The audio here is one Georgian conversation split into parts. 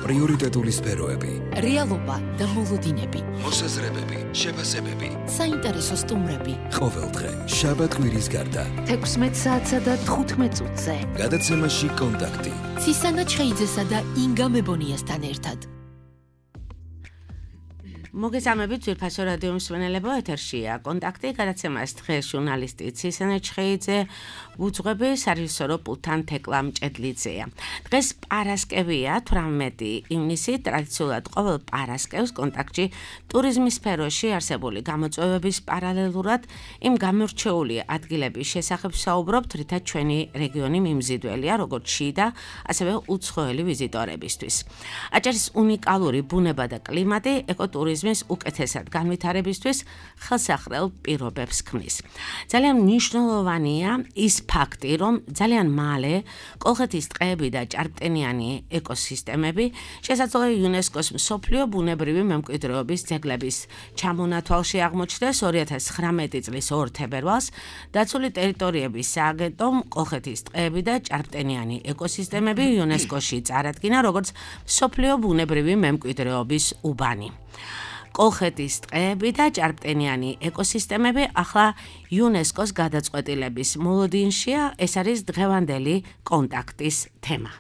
პრიორიტეტული სფეროები, რეალობა და მოლოდინები, მოსაზრებები, შეფასებები, საინტერესო სტუმრები. ყოველდღე შაბათ-კვირის გარდა 16 საათსა და 15 წუთზე. გადაცემაში კონტაქტი. ცისანა ჩხეიძესა და ინგა მებონიასთან ერთად. მოგესალმებით ძვირფასო რადიო მსმენელებო, ეთერშია კონტაქტი, გადაცემას დღეს ჟურნალისტი ცისანა ჩხეიძე უძღვები, სარეჟისორო პულტთან თეკლა მჭედლიძეა. დღეს პარასკევია, 18 ივნისი, ტრადიციულად ყოველ პარასკევს კონტაქტში ტურიზმის სფეროში არსებული გამოწვევების პარალელურად იმ გამორჩეული ადგილების შესახებ საუბრობთ, რითაც ჩვენი რეგიონი მიმზიდველია, როგორც შიდა, ასევე უცხოელი ვიზიტორებისთვის. აჭარის უნიკალური ბუნება და კლიმატი ეკოტურიზმის უკეთესად განვითარებისთვის ხელსაყრელ პირობებს ქმნის. ძალიან მნიშვნელოვანია ის ფაქტი, რომ ძალიან მალე კოლხეთის ტყეები და ჭარბტენიანი ეკოსისტემები შესაძლოა იუნესკოს მსოფლიო ბუნებრივი მემკვიდრეობის ძეგლების ჩამონათვალში აღმოჩნდეს 2019 წლის 2 თებერვალს დაცული ტერიტორიების სააგენტომ კოლხეთის ტყეები და ჭარბტენიანი ეკოსისტემები იუნესკოში წარადგინა როგორც მსოფლიო ბუნებრივი მემკვიდრეობის უბანი. კოლხეთის ტყეები და ჭარბტენიანი ეკოსისტემები ახლა იუნესკოს გადაწყვეტილების მოლოდინშია, ეს არის დღევანდელი კონტაქტის თემა.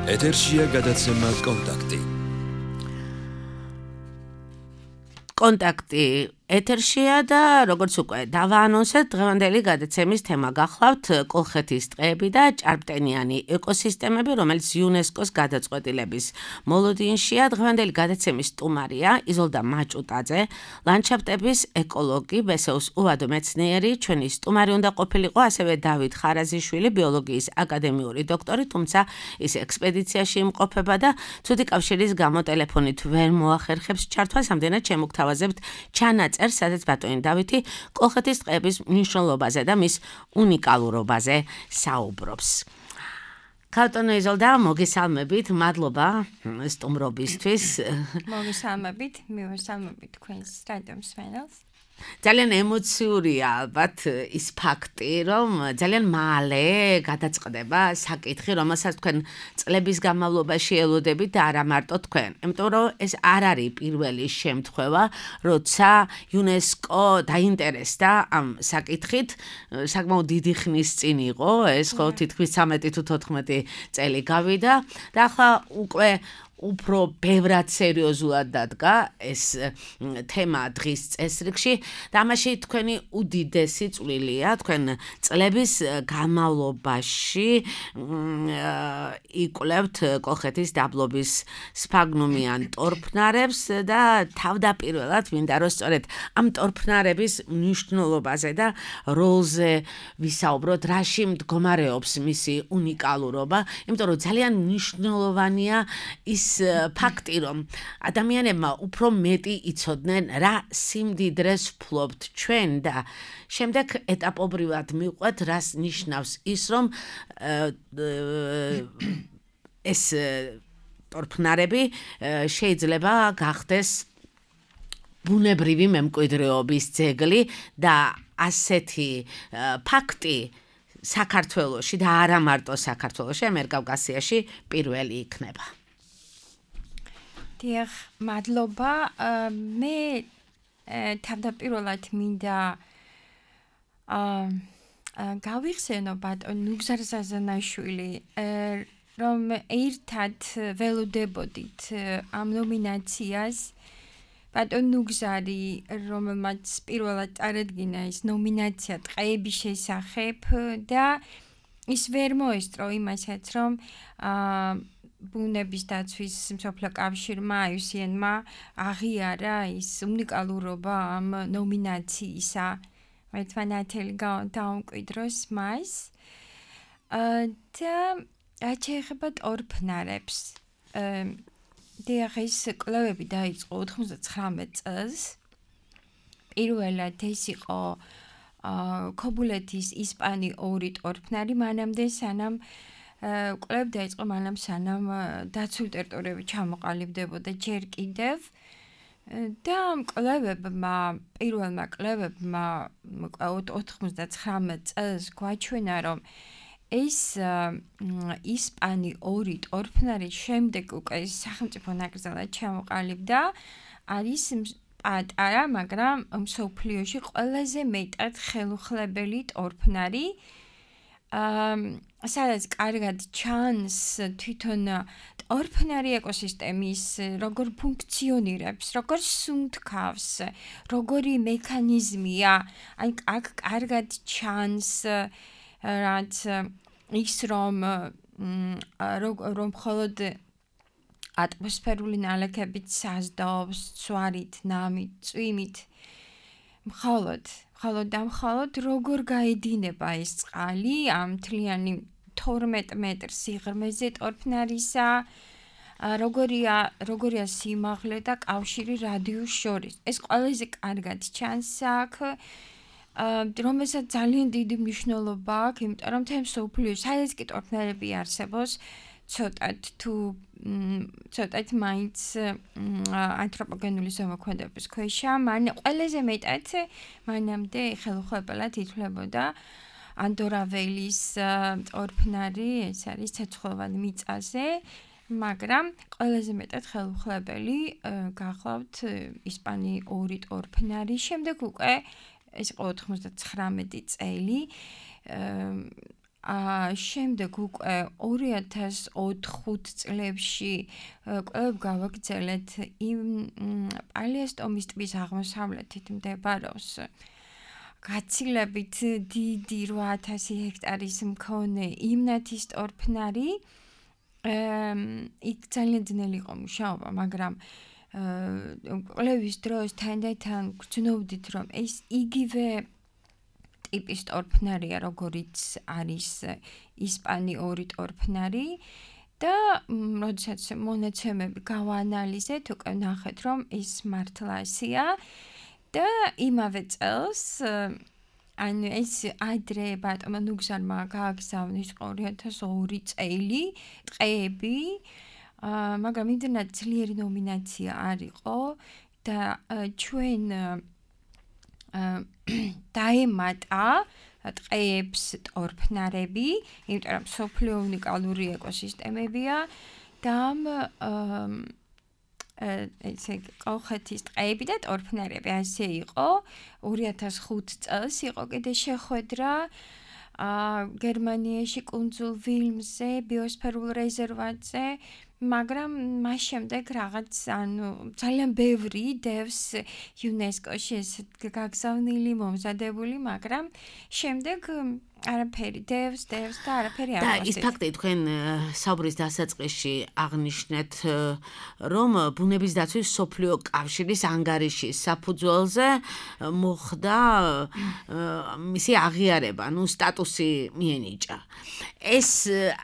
ეთერშია გადაცემა კონტაქტი. კონტაქტი ეთერშია და როგორც უკვე დავაანონსეთ, დღევანდელი გადაცემის თემა გახლავთ კოლხეთის ტყეები და ჭარბტენიანი ეკოსისტემები, რომელიც იუნესკოს გადაწყვეტილების მოლოდინშია. დღევანდელი გადაცემის სტუმარია იზოლდა მაჭუტაძე, ლანდშაფტების ეკოლოგი, ბესეუს უვადო მეცნიერი. ჩვენი სტუმარი უნდა ყოფილიყო ასევე დავით ხარაზიშვილი, ბიოლოგიის აკადემიური დოქტორი, თუმცა ის ექსპედიციაში იმყოფება და ცუდი კავშირის გამო ტელეფონით ვერ მოახერხებს ჩართვას, ამდენად შემოგთავაზებთ ჩანაწერს, სადაც ბატონი დავითი კოლხეთის ტყეების მნიშვნელობაზე და მის უნიკალურობაზე საუბრობს. ქალბატონო იზოლდა, მოგესალმებით, მადლობა სტუმრობისთვის. მოგესალმებით, მივესალმებით თქვენს რადიო მსმენელს. ძალიან ემოციურია ალბათ ის ფაქტი, რომ ძალიან მალე გადაწყდება საკითხი, რომელსაც თქვენ წლების განმავლობაში ელოდებით და არა მარტო თქვენ. იმიტომ რომ ეს არ არის პირველი შემთხვევა, როცა იუნესკო დაინტერესდა ამ საკითხით, საკმაოდ დიდი ხნის წინ იყო, ეს ხო თითქმის 13 თუ 14 წელი გავიდა და ახლა უკვე უფრო ბევრად სერიოზულად დადგა ეს თემა დღის წესრიგში და ამაში თქვენი უდიდესი წვლილია, თქვენ წლების განმავლობაში იკვლევთ კოლხეთის დაბლობის სფაგნუმიან ტორფნარებს და თავდაპირველად მინდა რომ სწორედ ამ ტორფნარების მნიშვნელობაზე და როლზე ვისაუბროთ, რაში მდგომარეობს მისი უნიკალურობა, იმიტომ რომ ძალიან მნიშვნელოვანია ის ფაქტი, რომ ადამიანებმა უფრო მეტი იცოდნენ, რა სიმდიდრეს ვფლობთ ჩვენ და შემდეგ ეტაპობრივად მივყვეთ, რას ნიშნავს ის, რომ ეს ტორფნარები შეიძლება გახდეს ბუნებრივი მემკვიდრეობის ძეგლი და ასეთი ფაქტი საქართველოში და არა მარტო საქართველოში, ამიერკავკასიაში პირველი იქნება. დიახ, მადლობა. მე თავდაპირველად მინდა გავიხსენო ბატონ ნუგზარ ზაზანაშვილი, რომ ერთად ველოდებოდით ამ ნომინაციას. ბატონ ნუგზარი, რომელმაც პირველად წარადგინა ეს ნომინაცია ტყეების შესახებ და ის ვერ მოესწრო იმასაც, რომ ბუნების დაცვის მსოფლიო კავშირმა IUCN-მა აღიარა ის უნიკალურობა ამ ნომინაციისა, ერთმანეთელი დაუმკვიდროს მას. და რაც შეეხება ტორფნარებს, ეს კვლევები დაიწყო 99 წელს. პირველად ეს იყო ქობულეთის ისპანიური ტორფნარი, მანამდე სანამ კვლევები დაიწყო, სანამ დაცული ტერიტორიები ჩამოყალიბდებოდა ჯერ კიდევ. და ამ კვლევებმა, პირველმა კვლევებმა 99 წელს გვაჩვენა, რომ ეს ისპანი ორი ტორფნარი შემდეგ უკვე სახელმწიფო ნაკრძალად ჩამოყალიბდა, არის პატარა, მაგრამ მსოფლიოში ყველაზე მეტად ხელუხლებელი ტორფნარი. სადაც კარგად ჩანს თვითონ ტორფნარი ეკოსისტემის როგორ ფუნქციონირებს, როგორ სუნთქავს, როგორი მექანიზმია, აი აქ კარგად ჩანს რაც ის რომ მხოლოდ ატმოსფერული ნალექებით საზდაობს, ცვარით, ნამით, წვიმით, მხოლოდ როგორ გაედინება ეს წყალი ამ მთლიანი 12 მეტრ სიღრმეზე ტორფნარისა, როგორია სიმაღლე და კავშირი რადიუსს შორის. ეს ყველაზე კარგად ჩანს აქ, რომელსაც ძალიან დიდი მნიშვნელობა აქვს, იმიტომ რომ თემ მსოფლიოში სადაც კი ტორფნარები არსებობს, ცოტათ მაინც ანთროპოგენული ზემოქმედების ქვეშა, ყველაზე მეტად მანამდე ხელუხლებელად ითვლებოდა ანდორაველის ტორფნარი, ეს არის ცეცხლოვანი მიწაზე, მაგრამ ყველაზე მეტად ხელუხლებელი გახლავთ ისპანი ორი ტორფნარი, შემდეგ უკვე ეს იყო 99 წელი, შემდეგ უკვე 2004 წლებში კვლავ გავაგრძელეთ იმ პალიასტომის ტბის აღმოსავლეთით მდებარეობს გაცილებით დიდი 8000 ჰექტარის მქონე იმნათის ტორფნარი. იქ ძალიან ძნელი იყო მუშაობა, მაგრამ კვლევის დროს თან გრძნობდით, რომ ეს იგივე ტიპის ტორფნარია, როგორიც არის ისპანი ორი ტორფნარი და როდესაც მონაცემები გავაანალიზეთ, უკვე ნახეთ, რომ ის მართლა ასეა და იმავე წელს ანუ ეს ადრე ბატონმა ნუგზარმა გააგზავნის 2002 წელი ტყეები, მაგრამ იმდენად ძლიერი ნომინაცია არ იყო და ჩვენ დაემატა ტყეებს ტორფნარები, იმიტომ რომ მსოფლიო უნიკალური ეკოსისტემებია და ესე კოლხეთის ტყეები და ტორფნარები ასე იყო. 2005 წელს იყო კიდე შეხვედრა გერმანიაში კუნძულ ვილმზე, ბიოსფერულ რეზერვატზე, მაგრამ მას შემდეგ რაღაც ძალიან ბევრი დევს იუნესკოში ეს გაგზავნილი, მომზადებული, მაგრამ შემდეგ არაფერი დევს და არაფერი არ და ის ფაქტი თქვენ საუბრის დასაწყისში აღნიშნეთ, რომ ბუნების დაცვის მსოფლიო კავშირის ანგარიშის საფუძველზე მოხდა მისი აღიარება, სტატუსი მიენიჭა. ეს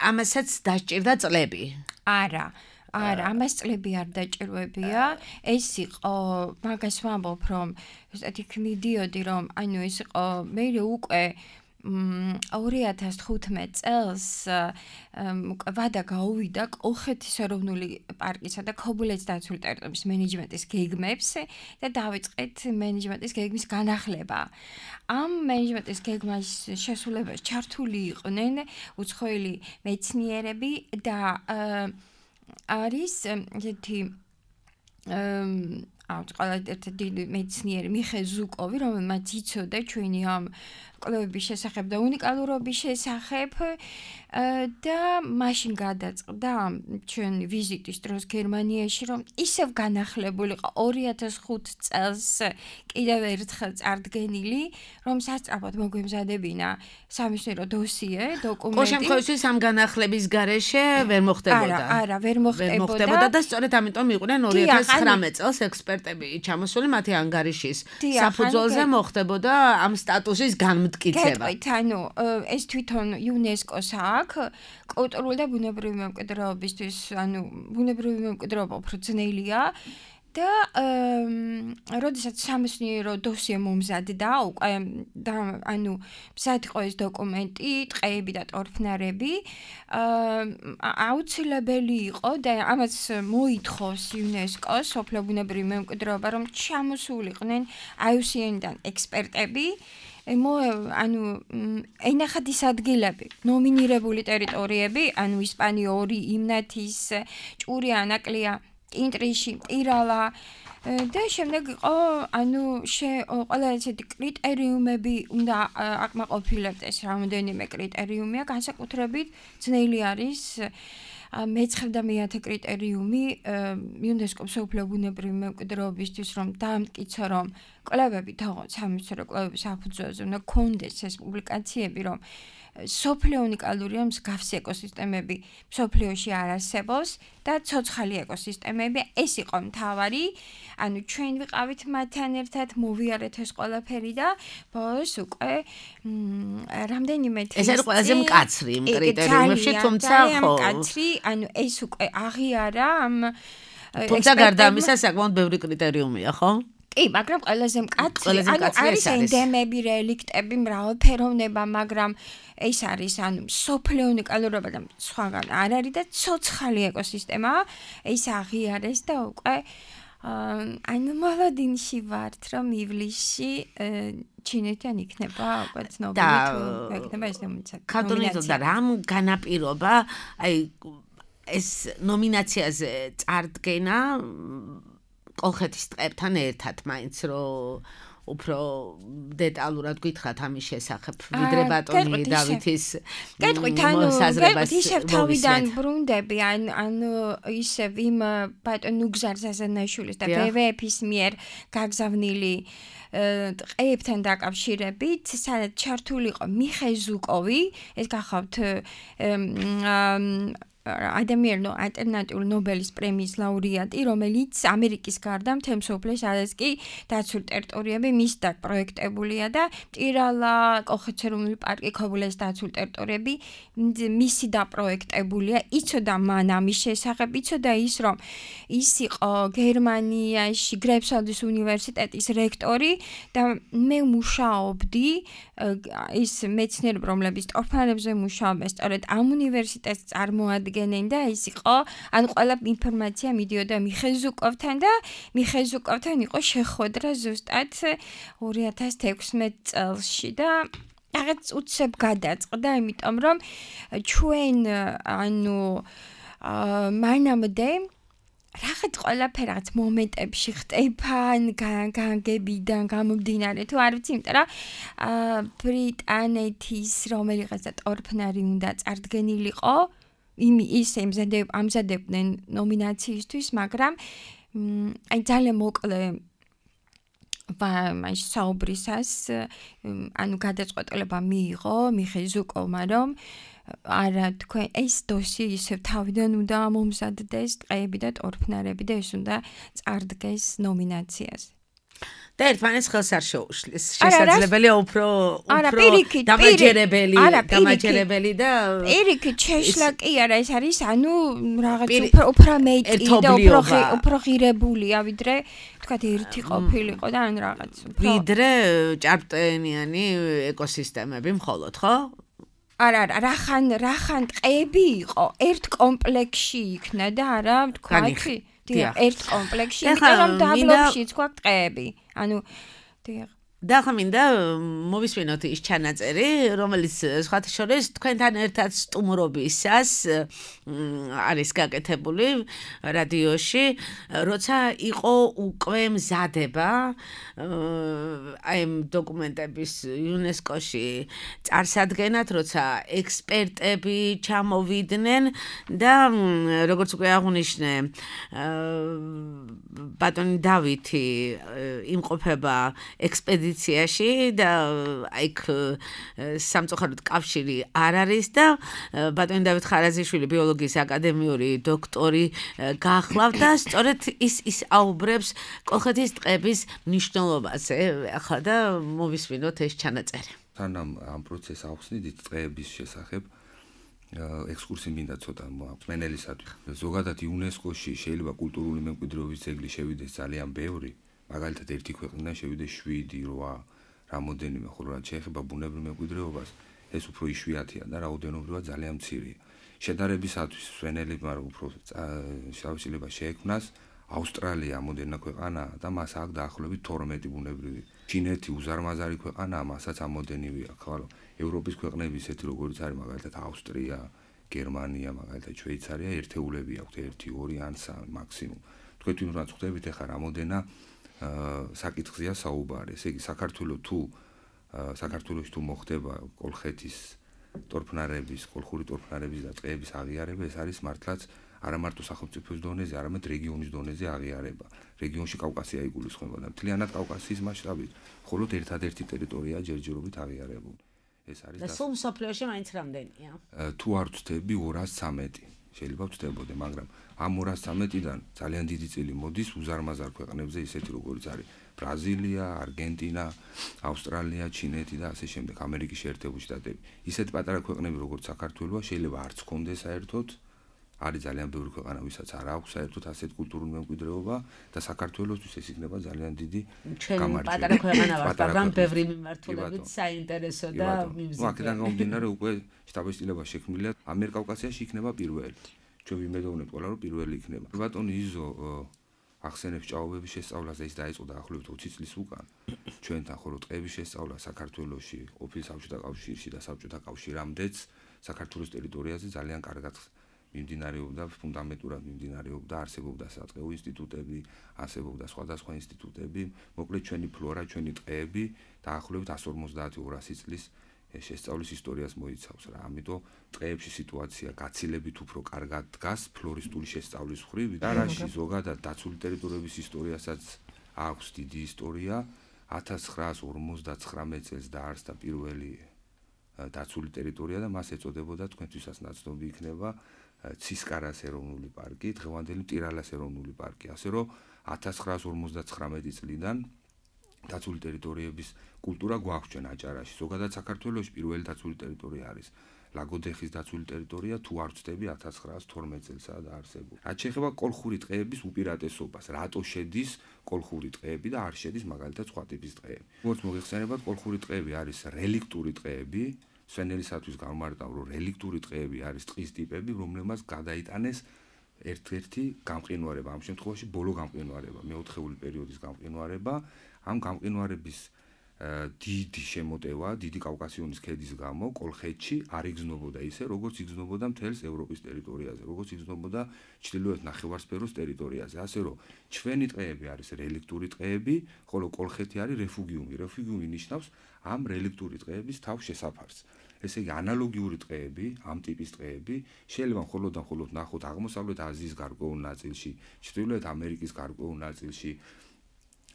ამასაც დასჭირდა წლები. არა, ამას წლები არ დაჭირვებია. ეს იყო, მაგას ვამბობ, რომ იქ მიდიოდი, რომ ანუ ეს იყო მე უკვე 2015 წელს ვადა გაუვიდა კოლხეთის ეროვნული პარკისა და ქობულეთის დაცული ტერიტორიის მენეჯმენტის გეგმებს და დავიწყეთ მენეჯმენტის გეგმის განახლება. ამ მენეჯმენტის გეგმის შესრულებას ჩართული იყვნენ უცხოელი მეცნიერები და არის ერთი ერთ დიდი მეცნიერი მიხეილ ზუკოვი, რომელმაც იცოდა ჩვენი ამ კვლევების შესახებ და უნიკალურობის შესახებ და მაშინ გადაწყდა ჩვენი ვიზიტის დროს გერმანიაში, რომ ისევ განახლებული იყო 2005 წელს კიდევ ერთხელ წარდგენილი, რომ სასწრაფოდ მოგვემზადებინა სამეცნიერო დოსიე, დოკუმენტი. ყოველ შემთხვევაში ამ განახლების გარეშე ვერ მოხდებოდა. არა, ვერ მოხდებოდა და სწორედ ამიტომ იყვნენ 2019 წელს ექსპერტები ჩამოსული მათი ანგარიშის საფუძველზე მოხდებოდა ამ სტატუსის განმტკიცება. გეტყვით, ანუ ეს თვითონ იუნესკოს აქვს კულტურული და ბუნებრივი მემკვიდრეობისთვის, ანუ ბუნებრივი მემკვიდრეობა უფრო ძნელია და როდესაც სამეცნიერო დოსიე მომზადდა, უკვე ანუ მზად იყო ეს დოკუმენტი, ტყეები და ტორფნარები, აუცილებელი იყო და ამას მოითხოვს იუნესკოს სოფლიო ბუნებრივი მემკვიდრეობა, რომ ჩამოსულიყვნენ IUCN-დან ექსპერტები ანუ ენახად ის ადგილები, ნომინირებული ტერიტორიები, ანუ ისპანიური, იმნათის, ჭური ანაკლია, კინტრიში, ტირალა და შემდეგ იყო, ანუ ყველა ესეთი კრიტერიუმები უნდა აკმაყოფილებდეს, რამოდენიმე კრიტერიუმია, განსაკუთრებით ძნელი არის მე-9 და მე-10 კრიტერიუმი იუნესკოს მსოფლიო ბუნებრივი მემკვიდრეობისთვის რომ დაამტკიცო რომ კვლევები თაღოთ სამეცნიერო კვლევების საფუძველზე უნდა კონდეს ეს პუბლიკაციები რომ სოფლიო უნიკალურია მსგავსი ეკოსისტემები სოფლიოში არ არსებობს და ცოცხალი ეკოსისტემები ეს იყო მთავარი ანუ ჩვენ ვიყავით მათთან ერთად მოვიარეთ ეს ყველაფერი და ბოლოს უკვე რამდენიმე თვით ეს არის ყველაზე მკაცრი იმ კრიტერიუმებში თუმცა ხო მკაცრი ანუ ეს უკვე აღიარა ამ თუმცა გარდა ამისა საკმაოდ ბევრი კრიტერიუმია ხო კი, მაგრამ ყველაზე მკაცრი, ანუ არის ენდემები, რელიქტები, მრავალფეროვნება, მაგრამ ეს არის ანუ სოფლიო უნიკალურობა და სხვაგან არ არის და ცოცხალი ეკოსისტემაა, ეს აღიარეს და უკვე ანუ მოლოდინში ვართ, რომ ივლისში ჩინეთიდან იქნება უკვე ცნობილი თუ იქნება ეს ნომინაცია. ქართულით და რამ განაპირობა, აი ეს ნომინაციაზე წარდგენა კოლხეთის ტყეებთან ერთად მაინც რომ უფრო დეტალურად გითხრათ ამის შესახებ ვიდრე ბატონი დავითის კეთყვით ანუ ისევ თავიდან ბრუნდები ანუ ისევ იმ ბატონ ნუგზარ ზაზანაშვილის და WWF-ის მიერ გაგზავნილი ტყეებთან დაკავშირებით სადაც ჩართული იყო მიხეილ ზუკოვი ეს გახავთ ადამიანო ალტერნატიული ნობელის პრემიის ლაურეატი, რომელიც ამერიკის გარდა მთელ მსოფლიოს არის კი დაცული ტერიტორიები მის პროექტებულია და ტირალა, კოლხეთის ეროვნული პარკი, ქობულეს დაცული ტერიტორიები მისი დაპროექტებულია. იცოდა მან ამის შესახებ, იცოდა ის, რომ ის იყო გერმანიაში გრეიფსვალდის უნივერსიტეტის რექტორი და მე მუშაობდი ის მეცნიერები, რომლებიც ტორფანებზე მუშაობენ, სწორედ ამ უნივერსიტეტს წარმოადგენენ და ის იყო, ანუ ყველა ინფორმაცია მიდიოდა მიხეილ ზუკოვთან და მიხეილ ზუკოვთან იყო შეხვედრა ზუსტად 2016 წელსში და რაღაც უცებ გადაწყდა, იმიტომ რომ ჩვენ ანუ მანამდე რაღაც ყველაფერი რაღაც მომენტებში ხდება განგებიდან გამომდინარე თუ არ ვიცი იმიტომ რომ ბრიტანეთის რომელიღაცა ტორფნარი უნდა წარდგენილიყო ის ამზადებდნენ ნომინაციისთვის მაგრამ აი ძალიან მოკლე ვაი საუბრისას ანუ გადაწყვეტილება მიიღო მიხეილ ზუკოვმა რომ არა თქვენ ეს დოსი ისევ თავიდან უნდა მომზადდეს ტყეები და ტორფნარები და ეს უნდა წარდგეს ნომინაციაზე. და ერთმანეთს ხელს არ შეუშლის. შესაძლებელია უფრო დამაჯერებელი და პირიქით შეშლა კი არა ეს არის ანუ რაღაც უფრო მეტი და უფრო ღირებულია ვიდრე თქვა ერთი ყოფილიყო და ან რაღაც ვიდრე ჭარბტენიანი ეკოსისტემები მხოლოდ ხო? არა რახან ტყეები იყო ერთ კომპლექსში იქნა და არა თქვა ერთ კომპლექსში იმიტომ რომ დაბლობშიც გვაქვს ტყეები ანუ დიახ და ხა მინდა მოვისმინოთ ის ჩანაწერი რომელიც სხვათა შორის თქვენთან ერთად სტუმრობისას არის გაკეთებული რადიოში როცა იყო უკვე მზადება აი ამ დოკუმენტების იუნესკოში წარსადგენად როცა ექსპერტები ჩამოვიდნენ და როგორც უკვე აღნიშნე ბატონი დავითი იმყოფება ექსპედიციაში და აიქ სამწუხაროდ კავშირი არ არის და ბატონი დავით ხარაზიშვილი ბიოლოგიის აკადემიური დოქტორი გახლავთ და სწორედ ის აუბრებს კოლხეთის ტყეების მნიშვნელობაზე ახლა და მოვისმინოთ ეს ჩანაწერი. სანამ ამ პროცესს ავხსნით ტყეების შესახებ ექსკურსი მინდა ცოტა მენელისადმი. ზოგადად იუნესკოში შეიძლება კულტურული მემკვიდრეობის ძეგლი შევიდეს ძალიან ბევრი მაგალითად ერთი ქვეყნიდან შევიდეს 7-8 რამოდენიმე ხოლო რაც შეეხება ბუნებრივ მემკვიდრეობას ეს უფრო იშვიათია და რაოდენობრივად ძალიან მცირეა შედარებისათვის სვენელებმა უფრო შესაძლებლობა შეექმნას ავსტრალია ამოდენა ქვეყანაა და მას აქვს დაახლოებით 12 ბუნებრივი ჩინეთი უზარმაზარი ქვეყანაა, მასაც ამოდენივი აქვს, ხალო. ევროპის ქვეყნები ისეთი როგორიც არის, მაგალითად ავსტრია, გერმანია, მაგალითად შვეიცარია, ერთეულები აქვთ 1, 2 ან 3 მაქსიმუმ. თქვენ თვითონ ხვდებით ახლა რამოდენა საკითხზეა საუბარი. ესე იგი საქართველოში თუ მოხდება კოლხეთის ხალხური ტორფნარების და ტყეების აღიარება, ეს არის მართლაც არა მარტო სახელმწიფოს დონეზე, არამედ რეგიონის დონეზე აღიარება. რეგიონში კავკასია იგულისხმება და მთლიანად კავკასიის მასშტაბით, მხოლოდ ერთადერთი ტერიტორია ჯერჯერობით აღიარებული. ეს არის და სულ მსოფლიოში მაინც რამდენია? თუ არ ვწდები 213. შეიძლება ვწდებოდე, მაგრამ ამ 213-დან ძალიან დიდი წილი მოდის უზარმაზარ ქვეყნებზე, ისეთი როგორიც არის ბრაზილია, არგენტინა, ავსტრალია, ჩინეთი და ასე შემდეგ, ამერიკის შეერთებული შტატები. ისეთ პატარა ქვეყნები როგორც საქართველოა შეიძლება არც კონდეს საერთოდ, არის ძალიან ბევრი ქვეყანა, ვისაც არ აქვს საერთოდ ასეთ კულტურული მემკვიდრეობა და საქართველოსთვის ეს იქნება ძალიან დიდი გამარჯვება. პატარა ქვეყანა ვართ, მაგრამ ბევრი მიმართულებით საინტერესო და მიზნი. აქედან გამომდინარე უკვე შტაბ-სიტილება შექმნილია, ამიერკავკასიაში იქნება პირველი. ჩვენ ვიმედოვნებთ ყველა რომ პირველი იქნება. ბატონი იზო ახსენებს ჭაობების შესწავლას და ის დაიწყო დაახლოებით 20 წლის უკან. ჩვენთან ხოლო ტყეების შესწავლა საქართველოში, ყოფილ საბჭოთა კავშირში და საბჭოთა კავშირამდეც საქართველოს ტერიტორიაზე ძალიან კარგად მიმდინარეობდა, ფუნდამენტურად მიმდინარეობდა, არსებობდა სატყეო ინსტიტუტები, არსებობდა სხვადასხვა ინსტიტუტები, მოკლედ ჩვენი ფლორა, ჩვენი ტყეები დაახლოებით 150-200 წლის შესწავლის ისტორიას მოიცავს რა. ამიტომ ტყეებში სიტუაცია გაცილებით უფრო კარგად დგას ფლორისტული შესწავლის მხრივ. არაში ზოგადად დაცული ტერიტორიების ისტორიასაც აქვს დიდი ისტორია. 1959 წელს დაარსდა პირველი დაცული ტერიტორია და მას ეწოდებოდა თქვენთვისაც ნაცნობი იქნება ცისკარას ეროვნული პარკი, დღევანდელი მტირალას ეროვნული პარკი. ასე რომ 1959 წლიდან დაცული ტერიტორიების კულტურა გვაქვს ჩვენ აჭარაში. ზოგადად საქართველოში პირველი დაცული ტერიტორია არის ლაგოდეხის დაცული ტერიტორია, თუ არ ვწდები 1912 წელსაა დაარსებული. რაც შეეხება კოლხური ტყეების უპირატესობას, რატო შედის კოლხური ტყეები და არ შედის მაგალითად სხვა ტიპის ტყეები. როგორც მოგეხსენებათ, კოლხური ტყეები არის რელიქტური ტყეები. სვენელისათვის გამარტავ, რომ რელიქტური ტყეები არის ტყის ტიპები, რომლებმაც გადაიტანეს ერთ-ერთი გამყინვარება, ამ შემთხვევაში ბოლო გამყინვარება, მეოთხეული პერიოდის გამყინვარება. ამ გამყინვარების დიდი შემოტევა, დიდი კავკასიონის ქედის გამო კოლხეთში არ იგრძნობოდა ისე, როგორც იგრძნობოდა მთელს ევროპის ტერიტორიაზე, როგორც იგრძნობოდა ჩრდილოეთ ნახევარსფეროს ტერიტორიაზე. ასე რომ ჩვენი ტყეები არის რელიქტური ტყეები, ხოლო კოლხეთი არის რეფუგიუმი. რეფუგიუმი ნიშნავს ამ რელიქტური ტყეების თავ შესაფარს. ესე იგი ანალოგიური ტყეები, ამ ტიპის ტყეები შეიძლება მხოლოდ ნახოთ აღმოსავლეთ აზიის გარკვეულ ნაწილში, ჩრდილოეთ ამერიკის გარკვეულ ნაწილში,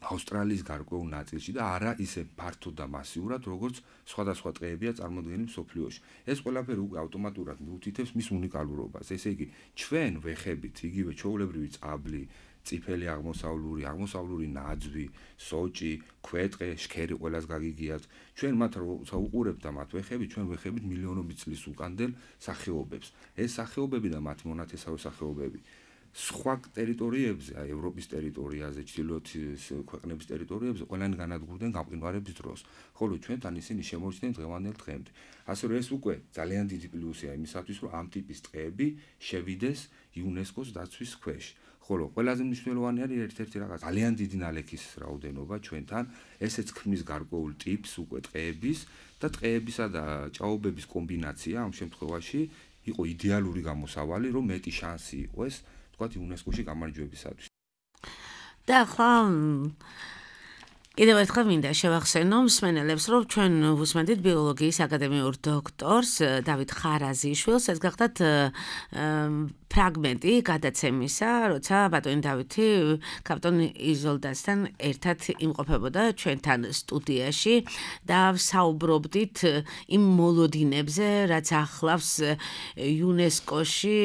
ავსტრალიის გარკვეულ ნაწილში და არა ისე ფართოდ და მასიურად, როგორც სხვადასხვა ტყეებია წარმოდგენილი მსოფლიოში. ეს ყველაფერი უკვე ავტომატურად მიუთითებს მის უნიკალურობას. ესე იგი, ჩვენ ვეხებით იგივე ჩვეულებრივი წაბლი, წიფელი აღმოსავლური ნაძვი, სოჭი, ქვეტყე, შქერი ყველას გაგიგიათ. ჩვენ მათ როცა უყურებთ და მათ ვეხებით, ჩვენ ვეხებით მილიონობით წლის უკანდელ სახეობებს. ეს სახეობები და მათ მონათესავე სახეობები სხვა ტერიტორიებზე, ევროპის ტერიტორიაზე, ჩრდილოეთის ქვეყნების ტერიტორიებზე ყველანი განადგურდნენ გამყინვარების დროს, ხოლო ჩვენთან ისინი შემორჩნენ დღევანდელ დღემდე. ასე რომ ეს უკვე ძალიან დიდი პლუსია იმისათვის, რომ ამ ტიპის ტყეები შევიდეს იუნესკოს დაცვის ქვეშ. ხოლო ყველაზე მნიშვნელოვანი არის ერთ-ერთი რაღაც ძალიან დიდი ნალექის რაოდენობა ჩვენთან, ესეც ქმნის გარკვეულ ტიპს უკვე ტყეების და ტყეებისა და ჭაობების კომბინაცია ამ შემთხვევაში იყო იდეალური გამოსავალი, რომ მეტი შანსი იყოს იუნესკოში გამარჯვებისათვის. და ახლა კიდევ ერთხელ მინდა შევახსენო მსმენელებს, რომ ჩვენ ვუსმენთ ბიოლოგიის აკადემიურ დოქტორს დავით ხარაზიშვილს. ეს გახდათ ფრაგმენტი გადაცემისა, როცა ბატონი დავითი კაპიტან იზოლდასთან ერთად იმყოფებოდა ჩვენთან სტუდიაში და ვსაუბრობდით იმ მოლოდინებზე, რაც ახლავს იუნესკოში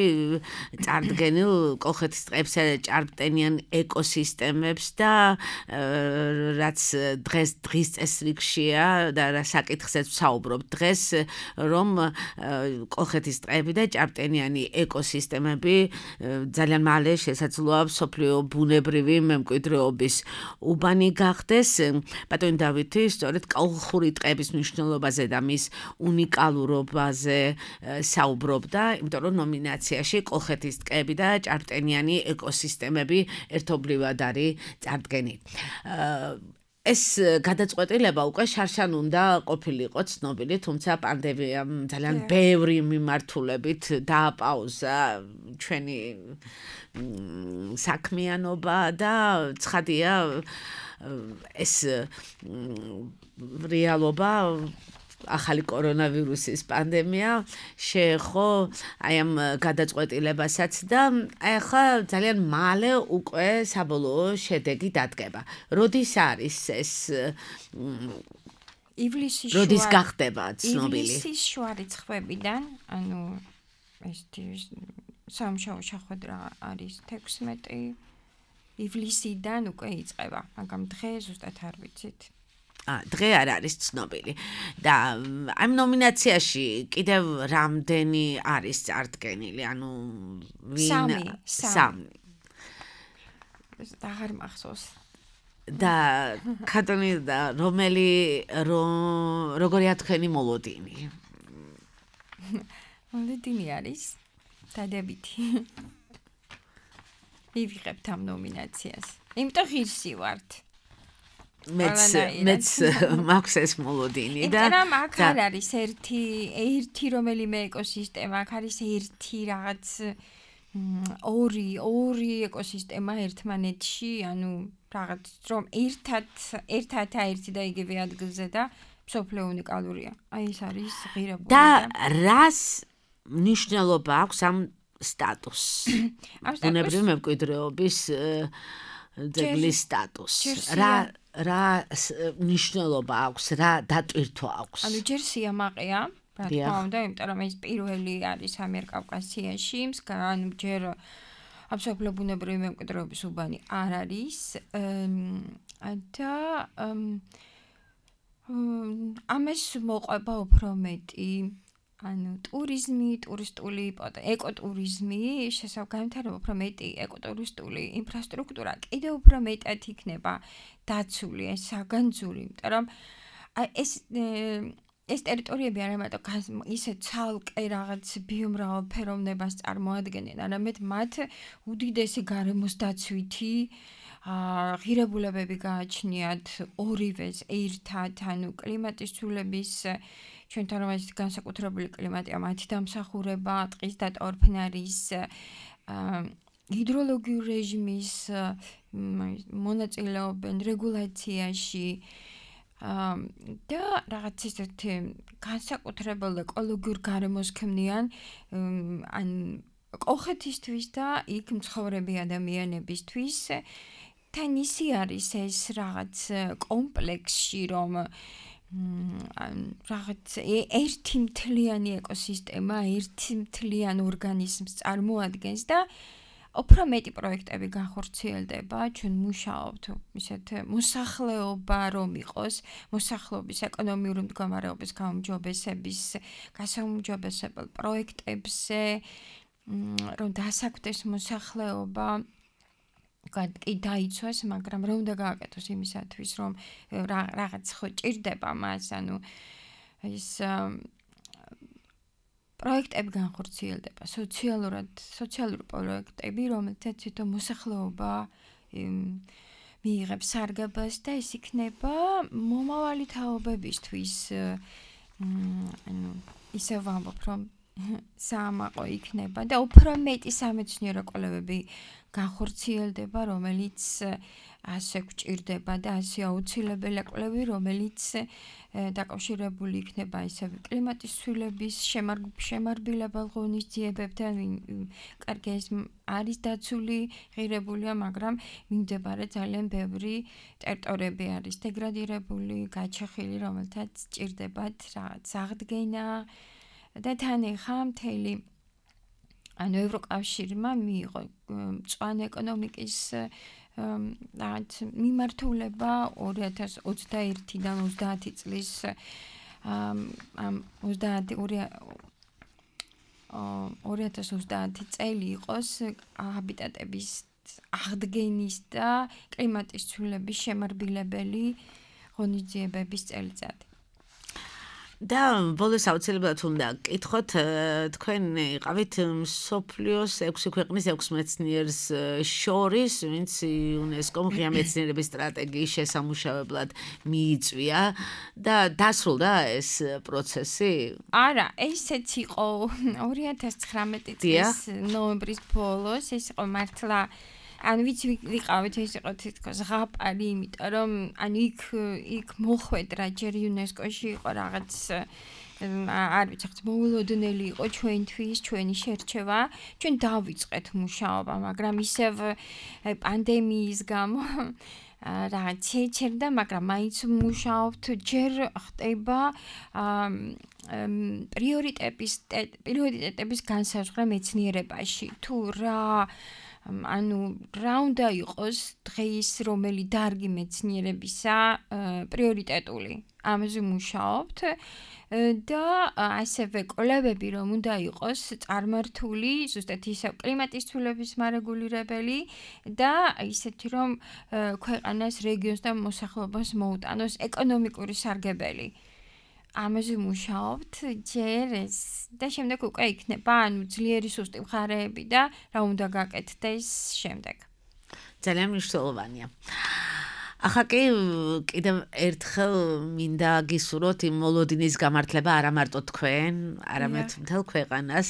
წარდგენილ კოლხეთის ტყეებსა და ჭარბტენიან ეკოსისტემებს და რაც დღის წესრიგშია და რა საკითხზეც ვსაუბრობთ დღეს, რომ კოლხეთის ტყეები და ჭარბტენიანი ეკოსისტემები ძალიან მალე შესაძლოა მსოფლიო ბუნებრივი მემკვიდრეობის უბანი გახდეს. ბატონი დავითი სწორედ კოლხური ტყეების მნიშვნელობაზე და მის უნიკალურობაზე საუბრობდა, იმიტომ რომ ნომინაციაში კოლხეთის ტყეები და ჭარბტენიანი ეკოსისტემები ერთობლივად არის წარდგენილი. ეს გადაწყვეტილება უკვე შარშან უნდა ყოფილიყო ცნობილი, თუმცა პანდემიამ ძალიან ბევრი მიმართულებით დააპაუზა ჩვენი საქმიანობა და ცხადია ეს რეალობა ახალი კორონავირუსის პანდემია შეეხო აი ამ გადაწყვეტილებასაც და ახლა ძალიან მალე უკვე საბოლოო შედეგი დადგება. როდის არის ეს ივლისის როდის გახდება ცნობილი? ივლისის შუა რიცხვებიდან, ანუ ეს სამშაბათო შეხვედრა არის 16 ივლისიდან უკვე იწყება, მაგრამ დღე ზუსტად არ ვიცით. დღე არ არის ცნობილი და ამ ნომინაციაში კიდევ რამდენი არის წარდგენილი, ანუ სამი. აღარ მახსოვს. და ქათონი და როგორია თქვენი მოლოდინი? მოლოდინი არის დადებითი. მივიღებთ ამ ნომინაციას. იმიტომ ღირსი ვართ. მეც მაქვს ეს მოლოდინი და მაგრამ აქ არ არის ერთი რომელიმე ეკოსისტემა, აქ არის ერთი რაღაც ორი ეკოსისტემა ერთმანეთში, ანუ რაღაც რომ ერთად ერთი და იგივე ადგილზე და მსოფლიო უნიკალურია. აი ეს არის ღირებული და რას მნიშვნელობა აქვს ამ სტატუსს? ბუნებრივი მემკვიდრეობის ძეგლის სტატუსს. რა მნიშვნელობა აქვს, რა დატვირთვა აქვს? ანუ ჯერ სიამაყეა, რა თქმა უნდა, იმიტომ რომ ეს პირველი არის ამიერკავკასიაში, ანუ ჯერ აბსოლუტურად ბუნებრივი მემკვიდრეობის უბანი არ არის და ამას მოყვება უფრო მეტი ანუ ტურიზმი, ტურისტული ეკოტურიზმი, განვითარება უფრო მეტი ეკოტურისტული ინფრასტრუქტურა კიდევ უფრო მეტად იქნება დაცული, საგანძური, იმიტომ რომ ეს ტერიტორიები არა მარტო ისე ცალკე რაღაც ბიომრავალფეროვნებას წარმოადგენენ, არამედ მათ უდიდესი გარემოს დაცვითი ღირებულებები გააჩნიათ ორივეს ერთად, ანუ კლიმატის ცვლილების ჩვენთან რომ ეს განსაკუთრებული კლიმატია, მათი დამსახურება, ტყის დატოვარფნარის, ჰიდროლოგიურ რეჟიმის მონაწილეობენ რეგულაციაში და რაღაც ისეთი განსაკუთრებულ ეკოლოგიურ გარემოს ქმნიან ან კოლხეთისთვის და იქ მცხოვრები ადამიანებისთვის. თან ისი არის ეს რაღაც კომპლექსში, რომ რაღაც ერთი მთლიანი ეკოსისტემა, ერთი მთლიან ორგანიზმს წარმოადგენს და უფრო მეტი პროექტები განხორციელდება, ჩვენ მუშაობთ ისეთ მოსახლეობა რომ იყოს, მოსახლეობის ეკონომიური მდგომარეობის გაუმჯობესების, გასაუმჯობესებელ პროექტებზე, რომ დასაქმდეს მოსახლეობა კი დაიცვას, მაგრამ რომ უნდა გააკეთოს იმისათვის, რომ რაღაც ხო ჭირდება მას, ანუ ის პროექტები განხორციელდება, სოციალური პროექტები, რომელთაც თვითონ მოსახლეობა მიიღებს სარგებას და ეს იქნება მომავალი თაობებისთვის, ანუ ისე ვამბობ, რომ საამაყო იქნება და უფრო მეტი სამეცნიერო კვლევები განხორციელდება, რომელიც ასე გვჭირდება და ასე აუცილებელი კვლევები, რომელიც დაკავშირებული იქნება ისევ კლიმატის ცვლილების შემარბილებელ ღონისძიებებთან, კარგი ეს არის დაცული, ღირებულია, მაგრამ მიმდებარე ძალიან ბევრი ტერიტორიები არის დეგრადირებული, გაჩეხილი, რომელთაც სჭირდებათ რაღაც აღდგენა და თან ეხა მთელი ანუ ევროკავშირმა მიიღო მწვანე ეკონომიკის რაღაც მიმართულება 2021-დან 30 წლის 2030 წელი იყოს ჰაბიტატების აღდგენის და კლიმატის ცვლილების შემარბილებელი ღონისძიებების წელიწადი. და ბოლოს აუცილებლად უნდა გკითხოთ, თქვენ იყავით მსოფლიოს 6 ქვეყნის 6 მეცნიერს შორის, ვინც იუნესკომ ღია მეცნიერების სტრატეგიის შესამუშავებლად მიიწვია და დასრულდა ეს პროცესი? არა, ესეც იყო 2019 წლის ნოემბრის ბოლოს, ეს იყო მართლა ან ვიცი ვიყავით ეს იყო თითქოს ზღაპარი, იმიტომ რომ ან იქ მოხვედრა ჯერ იუნესკოში იყო რაღაც არ ვიცი, ხაც მოულოდნელი იყო ჩვენთვის, ჩვენი შერჩევა, ჩვენ დავიწყეთ მუშაობა, მაგრამ ისევ პანდემიის გამო რაღაც შეჩერდა, მაგრამ მაინც მუშაობთ, ჯერ ხდება პრიორიტეტების განსაზღვრა მეცნიერებაში. თუ ანუ რა უნდა იყოს დღეს რომელი დარგი მეცნიერებისა პრიორიტეტული. ამაზე მუშაობთ და ასევე კვლევები რომ უნდა იყოს წარმართული, ზუსტად ისევ კლიმატის ცვლილების მარეგულირებელი და ისეთი რომ ქვეყანას, რეგიონს და მოსახლეობას მოუტანოს ეკონომიკური სარგებელი. ამაზე მუშაობთ ჯერ ეს და შემდეგ უკვე იქნება ანუ ძლიერი სუსტი მხარეები და რა უნდა გაკეთდეს შემდეგ. ძალიან მნიშვნელოვანია. ახლა კი კიდევ ერთხელ მინდა გისურვოთ იმ მოლოდინის გამართლება არა მარტო თქვენ, არამედ მთელ ქვეყანას,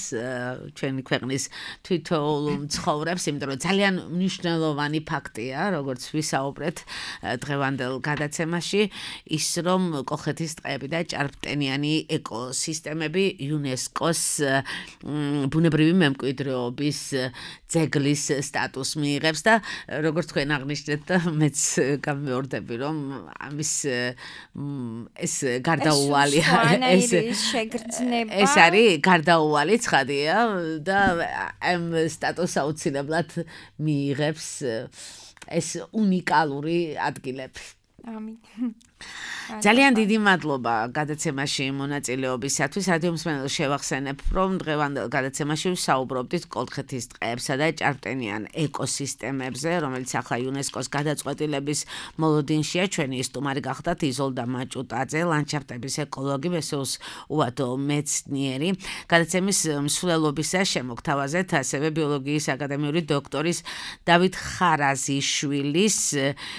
ჩვენი ქვეყნის თითოეულ მცხოვრებს, იმიტომ რომ ძალიან მნიშვნელოვანი ფაქტია, როგორც ვისაუბრეთ დღევანდელ გადაცემაში, ის რომ კოლხეთის ტყეები და ჭარბტენიანი ეკოსისტემები იუნესკოს ბუნებრივი მემკვიდრეობის ძეგლის სტატუსს მიიღებს და როგორც თქვენ აღნიშნეთ და მეც გამეორდები რომ ამის ეს გარდაუვალია ეს არის გარდაუვალი ცხადია და ამ სტატუსს აუცილებლად მიიღებს ეს უნიკალური ადგილები. ამინ. ძალიან დიდი მადლობა გადაცემაში მონაწილეობისათვის. რადიო მსმენელს შევახსენებ, რომ დღევანდელ გადაცემაში ვსაუბრობდით კოლხეთის ტყეებსა და ჭარბტენიან ეკოსისტემებზე, რომელიც ახლა იუნესკოს გადაწყვეტილების მოლოდინშია. ჩვენი სტუმარი გახდათ იზოლდა მაჭუტაძე, ლანდშაფტების ეკოლოგი, მესეოს უადო მეცნიერი. გადაცემის მსვლელობისა შემოგთავაზეთ ასევე ბიოლოგიის აკადემიური დოქტორის დავით ხარაზიშვილის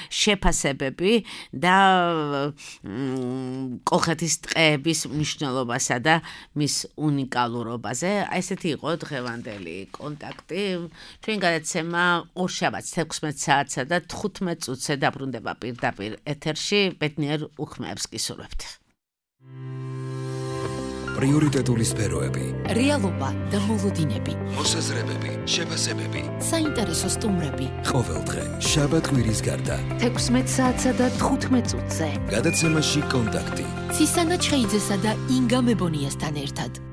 შეფასებები და კოლხეთის ტყეების მნიშვნელობასა და მის უნიკალურობაზე. ესეთი იყო დღევანდელი კონტაქტი. ჩვენ გადაცემა ორშაბათს 16 საათსა და 15 წუთზე დაბრუნდება პირდაპირ ეთერში. ბედნიერ უხმეებს გისურვებთ. პრიორიტეტული სფეროები, რეალობა და მოლოდინები, მოსაზრებები, შეფასებები, საინტერესო სტუმრები. ყოველდღე შაბათ-კვირის გარდა 16 საათსა და 15 წუთზე. გადაცემაში კონტაქტი. ცისანა ჩხეიძესა და ინგა მებონიასთან ერთად.